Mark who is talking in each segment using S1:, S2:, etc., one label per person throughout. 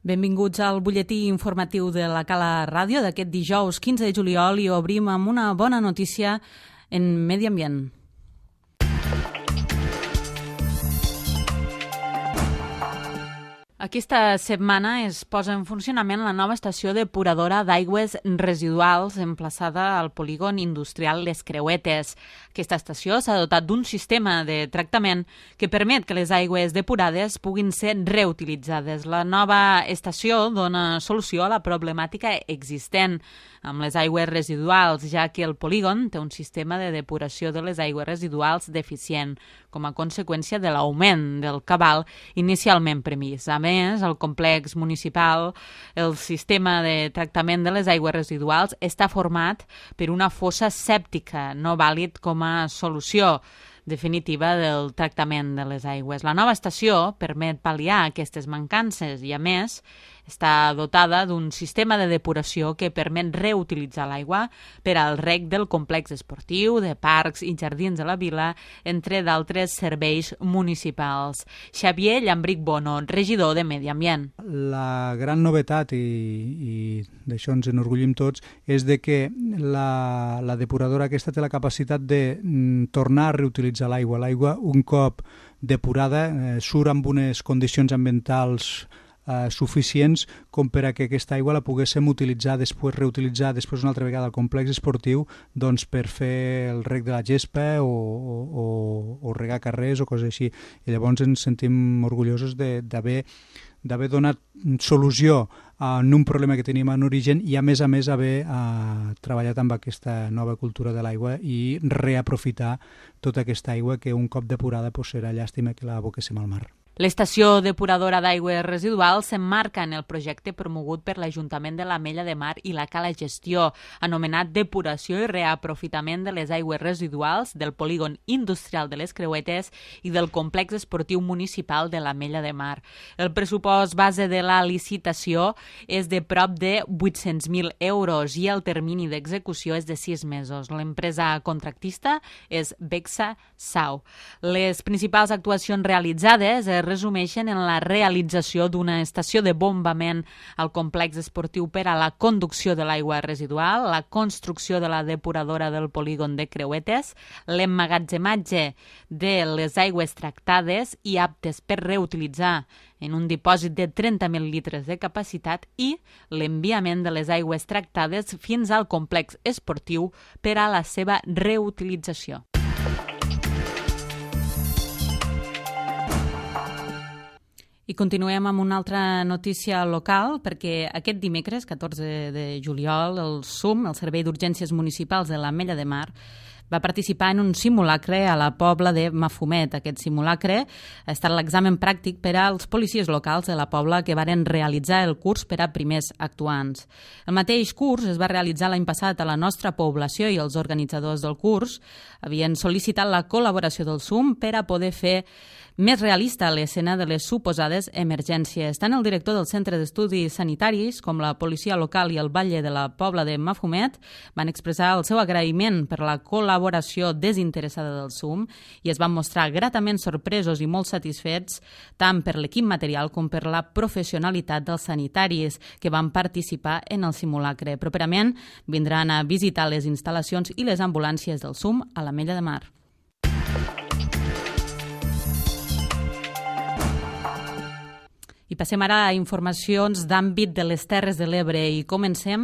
S1: Benvinguts al butlletí informatiu de la Cala Ràdio d'aquest dijous 15 de juliol i obrim amb una bona notícia en medi ambient. Aquesta setmana es posa en funcionament la nova estació depuradora d'aigües residuals emplaçada al polígon industrial Les Creuetes. Aquesta estació s'ha dotat d'un sistema de tractament que permet que les aigües depurades puguin ser reutilitzades. La nova estació dona solució a la problemàtica existent amb les aigües residuals, ja que el polígon té un sistema de depuració de les aigües residuals deficient, com a conseqüència de l'augment del cabal inicialment previst. A més, el complex municipal, el sistema de tractament de les aigües residuals, està format per una fossa sèptica, no vàlid com a solució definitiva del tractament de les aigües. La nova estació permet pal·liar aquestes mancances i, a més, està dotada d'un sistema de depuració que permet reutilitzar l'aigua per al reg del complex esportiu, de parcs i jardins de la vila, entre d'altres serveis municipals. Xavier Llambric Bono, regidor de Medi Ambient.
S2: La gran novetat, i d'això ens enorgullim tots, és de que la depuradora aquesta té la capacitat de tornar a reutilitzar l'aigua. L'aigua, un cop depurada, surt amb unes condicions ambientals suficients com per a que aquesta aigua la poguéssim utilitzar reutilitzar després una altra vegada al complex esportiu doncs per fer el reg de la gespa o regar carrers o coses així. I llavors ens sentim orgullosos d'haver donat solució a un problema que teníem en origen i a més haver treballat amb aquesta nova cultura de l'aigua i reaprofitar tota aquesta aigua que un cop depurada serà llàstima que la aboquéssim al mar.
S1: L'estació depuradora d'aigües residuals s'emmarca en el projecte promogut per l'Ajuntament de l'Ametlla de Mar i la Cala Gestió, anomenat Depuració i Reaprofitament de les Aigües Residuals del Polígon Industrial de les Creuetes i del Complex Esportiu Municipal de l'Ametlla de Mar. El pressupost base de la licitació és de prop de 800.000 euros i el termini d'execució és de 6 mesos. L'empresa contractista és Bexa Sau. Les principals actuacions realitzades resumeixen en la realització d'una estació de bombament al complex esportiu per a la conducció de l'aigua residual, la construcció de la depuradora del polígon de Creuetes, l'emmagatzematge de les aigües tractades i aptes per reutilitzar en un dipòsit de 30.000 litres de capacitat i l'enviament de les aigües tractades fins al complex esportiu per a la seva reutilització. I continuem amb una altra notícia local, perquè aquest dimecres, 14 de juliol, el SUM, el Servei d'Urgències Municipals de l'Ametlla de Mar, va participar en un simulacre a la Pobla de Mafumet. Aquest simulacre ha estat l'examen pràctic per als policies locals de la Pobla que varen realitzar el curs per a primers actuants. El mateix curs es va realitzar l'any passat a la nostra població i els organitzadors del curs havien sol·licitat la col·laboració del SUM per a poder fer més realista l'escena de les suposades emergències. Tant el director del Centre d'Estudis Sanitaris com la policia local i el batlle de la Pobla de Mafumet van expressar el seu agraïment per la col·laboració desinteressada del SUM i es van mostrar gratament sorpresos i molt satisfets tant per l'equip material com per la professionalitat dels sanitaris que van participar en el simulacre. Properament vindran a visitar les instal·lacions i les ambulàncies del SUM a l'Ametlla de Mar. I passem ara a informacions d'àmbit de les Terres de l'Ebre i comencem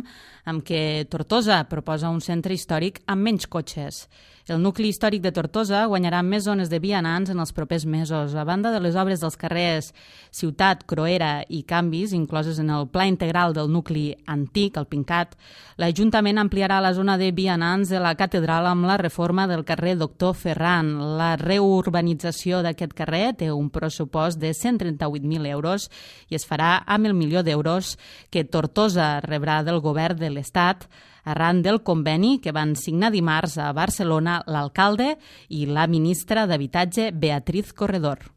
S1: amb que Tortosa proposa un centre històric amb menys cotxes. El nucli històric de Tortosa guanyarà més zones de vianants en els propers mesos. A banda de les obres dels carrers Ciutat, Croera i Canvis, incloses en el pla integral del nucli antic, el Pincat, l'Ajuntament ampliarà la zona de vianants de la catedral amb la reforma del carrer Doctor Ferran. La reurbanització d'aquest carrer té un pressupost de 138.000 euros i es farà amb el milió d'euros que Tortosa rebrà del govern de l'Estat arran del conveni que van signar dimarts a Barcelona l'alcalde i la ministra d'Habitatge Beatriz Corredor.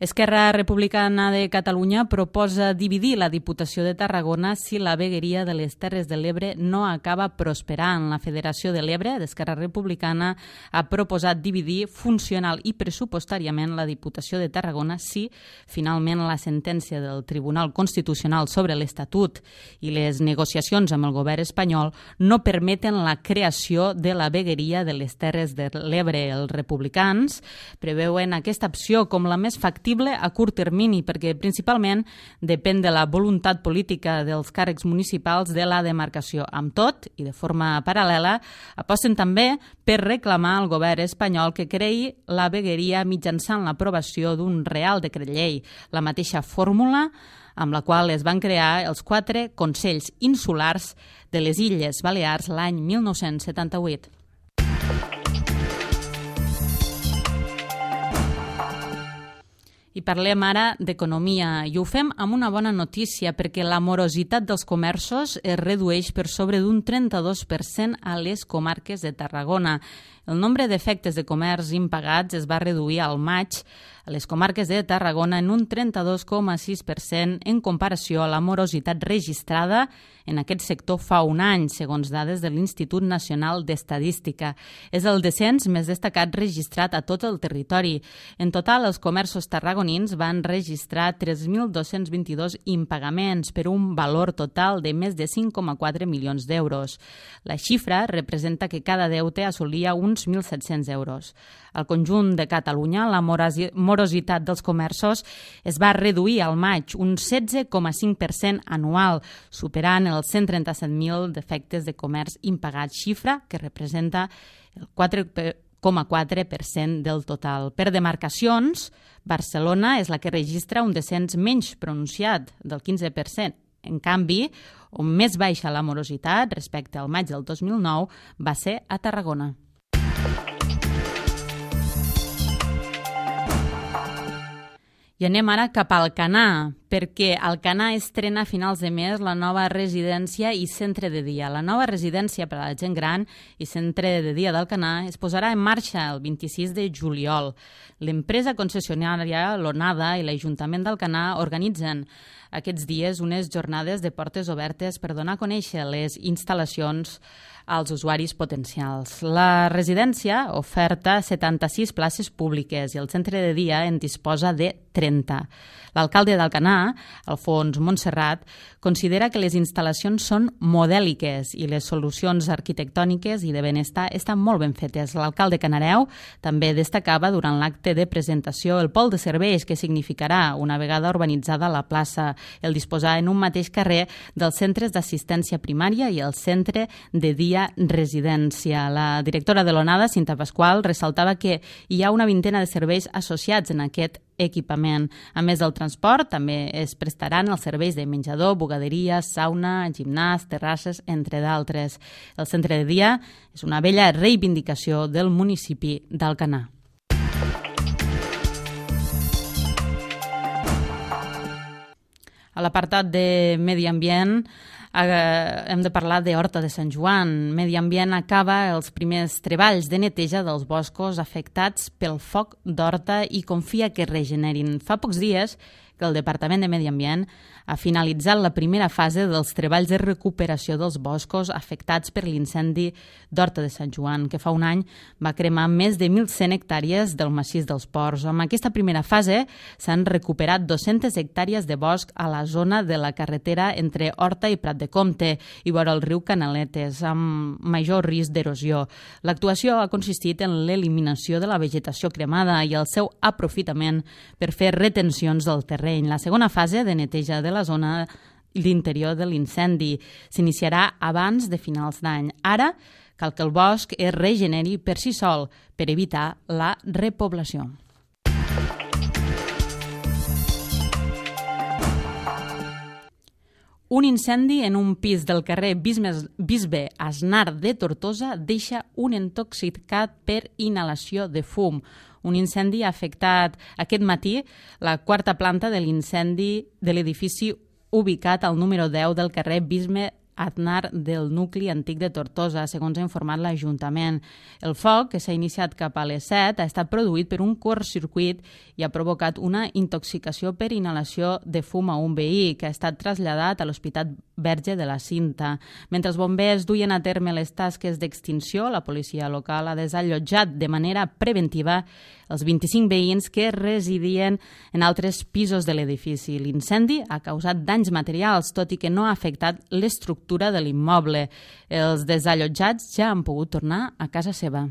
S1: Esquerra Republicana de Catalunya proposa dividir la Diputació de Tarragona si la vegueria de les Terres de l'Ebre no acaba prosperant. La Federació de l'Ebre d'Esquerra Republicana ha proposat dividir funcional i pressupostàriament la Diputació de Tarragona si finalment la sentència del Tribunal Constitucional sobre l'Estatut i les negociacions amb el govern espanyol no permeten la creació de la vegueria de les Terres de l'Ebre. Els republicans preveuen aquesta opció com la més factible a curt termini perquè principalment depèn de la voluntat política dels càrrecs municipals de la demarcació. Amb tot, i de forma paral·lela, aposten també per reclamar al govern espanyol que creï la vegueria mitjançant l'aprovació d'un Real Decret Llei, la mateixa fórmula amb la qual es van crear els 4 Consells Insulars de les Illes Balears l'any 1978. I parlem ara d'economia i ho fem amb una bona notícia perquè la morositat dels comerços es redueix per sobre d'un 32% a les comarques de Tarragona. El nombre d'efectes de comerç impagats es va reduir al maig a les comarques de Tarragona en un 32,6% en comparació a la morositat registrada en aquest sector fa un any, segons dades de l'Institut Nacional d'Estadística. És el descens més destacat registrat a tot el territori. En total, els comerços tarragonins van registrar 3.222 impagaments per un valor total de més de 5,4 milions d'euros. La xifra representa que cada deute assolia uns 1.700 euros. Al conjunt de Catalunya, la morositat dels comerços es va reduir al maig un 16,5% anual, superant els 137.000 defectes de comerç impagats, xifra que representa el 4,4% del total. Per demarcacions, Barcelona és la que registra un descens menys pronunciat, del 15%. En canvi, on més baixa la morositat respecte al maig del 2009 va ser a Tarragona. I anem ara cap a Alcanar, perquè Alcanar estrena a finals de mes la nova residència i centre de dia. La nova residència per a la gent gran i centre de dia d'Alcanar es posarà en marxa el 26 de juliol. L'empresa concessionària Lonada i l'Ajuntament d'Alcanar organitzen aquests dies unes jornades de portes obertes per donar a conèixer les instal·lacions als usuaris potencials. La residència oferta 76 places públiques i el centre de dia en disposa de 30. L'alcalde d'Alcanar, Alfons Montserrat, considera que les instal·lacions són modèliques i les solucions arquitectòniques i de benestar estan molt ben fetes. L'alcalde Canareu també destacava durant l'acte de presentació el pol de serveis que significarà, una vegada urbanitzada la plaça, el disposar en un mateix carrer dels centres d'assistència primària i el centre de dia residència. La directora de l'ONADA, Cinta Pasqual, ressaltava que hi ha una vintena de serveis associats en aquest equipament. A més del transport, també es prestaran els serveis de menjador, bugaderia, sauna, gimnàs, terrasses, entre d'altres. El centre de dia és una vella reivindicació del municipi d'Alcanar. A l'apartat de medi ambient hem de parlar d'Horta de Sant Joan. Medi Ambient acaba els primers treballs de neteja dels boscos afectats pel foc d'Horta i confia que es regenerin. Fa pocs dies que el Departament de Medi Ambient ha finalitzat la primera fase dels treballs de recuperació dels boscos afectats per l'incendi d'Horta de Sant Joan, que fa un any va cremar més de 1.100 hectàrees del massís dels Ports. Amb aquesta primera fase s'han recuperat 200 hectàrees de bosc a la zona de la carretera entre Horta i Prat de Comte i vora el riu Canaletes, amb major risc d'erosió. L'actuació ha consistit en l'eliminació de la vegetació cremada i el seu aprofitament per fer retencions del terreny. La segona fase de neteja de la zona l'interior de l'incendi s'iniciarà abans de finals d'any. Ara cal que el bosc es regeneri per si sol per evitar la repoblació. Un incendi en un pis del carrer Bisbe Aznar de Tortosa deixa un intoxicat per inhalació de fum. Un incendi ha afectat aquest matí la quarta planta de l'incendi de l'edifici ubicat al número 10 del carrer Aznar del nucli antic de Tortosa, segons ha informat l'Ajuntament. El foc, que s'ha iniciat cap a les 7, ha estat produït per un curtcircuit i ha provocat una intoxicació per inhalació de fum a un veí, que ha estat traslladat a l'Hospital Verge de la Cinta. Mentre els bombers duien a terme les tasques d'extinció, la policia local ha desallotjat de manera preventiva els 25 veïns que residien en altres pisos de l'edifici. L'incendi ha causat danys materials, tot i que no ha afectat l'estructura de l'immoble. Els desallotjats ja han pogut tornar a casa seva.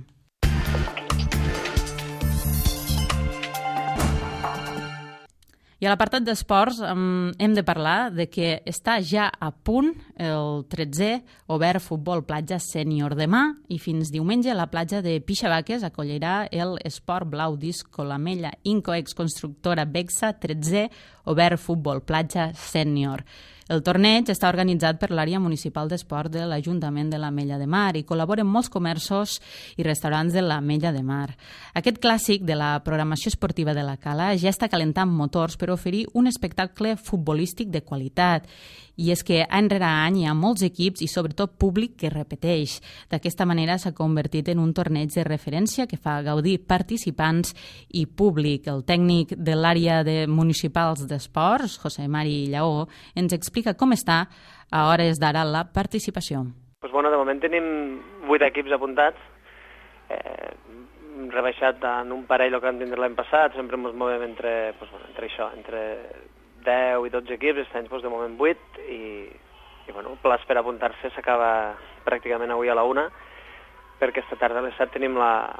S1: I a l'apartat d'esports hem de parlar de que està ja a punt el 13è Obert Futbol Platja Sènior. Demà i fins diumenge la platja de Pixavaques acollirà el Esport Blau Disco Lamella Incoex Constructora Bexa 13è Obert Futbol Platja Sènior. El torneig està organitzat per l'àrea municipal d'esport de l'Ajuntament de l'Ametlla de Mar i col·laboren molts comerços i restaurants de l'Ametlla de Mar. Aquest clàssic de la programació esportiva de la Cala ja està calentant motors per oferir un espectacle futbolístic de qualitat. I és que any rere any hi ha molts equips i sobretot públic que repeteix. D'aquesta manera s'ha convertit en un torneig de referència que fa gaudir participants i públic. El tècnic de l'àrea de municipals d'esports, José Mari Lleó, ens explica com està a hores d'ara la participació.
S3: De moment tenim 8 equips apuntats, rebaixat en un parell el que vam tindre l'any passat, sempre ens movem entre 10 i 12 equips, aquest any de moment 8 i el plaç per apuntar-se s'acaba pràcticament avui a la 1, perquè esta tarda a les 7 tenim la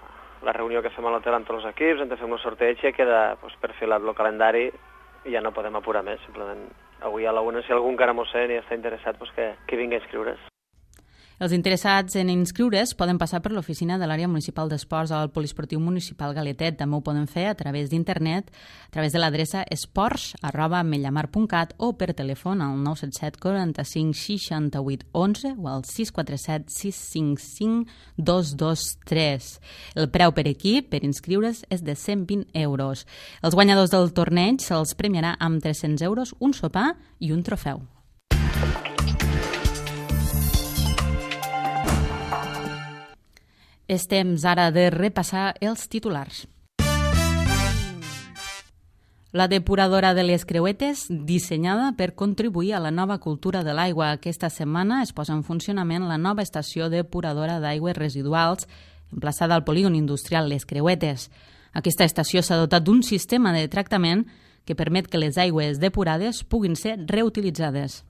S3: reunió que fem a l'hotel amb tots els equips, hem de fer un sorteig i queda perfilat el calendari i ja no podem apurar més, simplement avui a la 1, si algú encara m'ho sent i està interessat, que vingui a inscriure's.
S1: Els interessats en inscriure's poden passar per l'oficina de l'àrea municipal d'esports al Poliesportiu Municipal Galetet. També ho poden fer a través d'internet, a través de l'adreça esports@mellamar.cat o per telèfon al 977 45 68 11 o al 647 655 223. El preu per equip per inscriure's és de 120 euros. Els guanyadors del torneig se'ls premiarà amb 300 euros, un sopar i un trofeu. És temps ara de repassar els titulars. La depuradora de les Creuetes, dissenyada per contribuir a la nova cultura de l'aigua. Aquesta setmana es posa en funcionament la nova estació depuradora d'aigües residuals emplaçada al polígon industrial Les Creuetes. Aquesta estació s'ha dotat d'un sistema de tractament que permet que les aigües depurades puguin ser reutilitzades.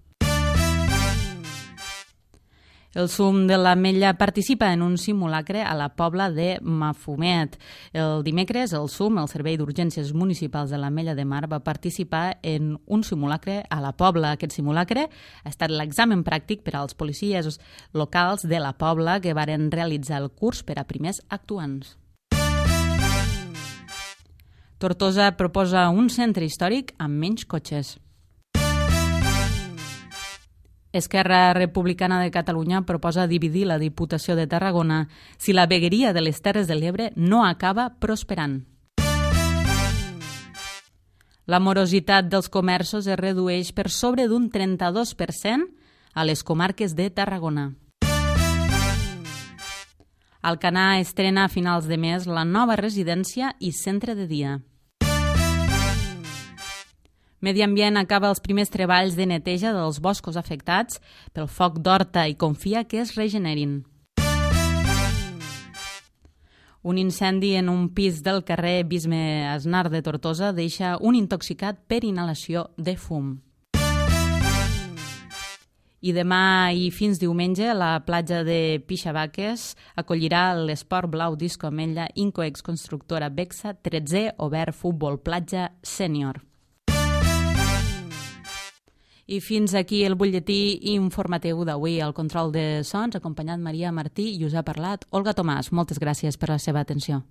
S1: El SUM de l'Ametlla participa en un simulacre a la Pobla de Mafumet. El dimecres, el SUM, el Servei d'Urgències Municipals de l'Ametlla de Mar, va participar en un simulacre a la Pobla. Aquest simulacre ha estat l'examen pràctic per als policies locals de la Pobla que varen realitzar el curs per a primers actuants. Tortosa proposa un centre històric amb menys cotxes. Esquerra Republicana de Catalunya proposa dividir la Diputació de Tarragona si la vegueria de les Terres de l'Ebre no acaba prosperant. La morositat dels comerços es redueix per sobre d'un 32% a les comarques de Tarragona. Alcanar estrena a finals de mes la nova residència i centre de dia. Medi Ambient acaba els primers treballs de neteja dels boscos afectats pel foc d'Horta i confia que es regenerin. Un incendi en un pis del carrer Bisbe Aznar de Tortosa deixa un intoxicat per inhalació de fum. I demà i fins diumenge la platja de Pixavaques acollirà l'Esport Blau Disco Ametlla Incoex Constructora Bexa 13è Obert Futbol Platja Sènior. I fins aquí el butlletí informatiu d'avui. Al control de sons, acompanyat Maria Martí, i us ha parlat Olga Tomàs. Moltes gràcies per la seva atenció.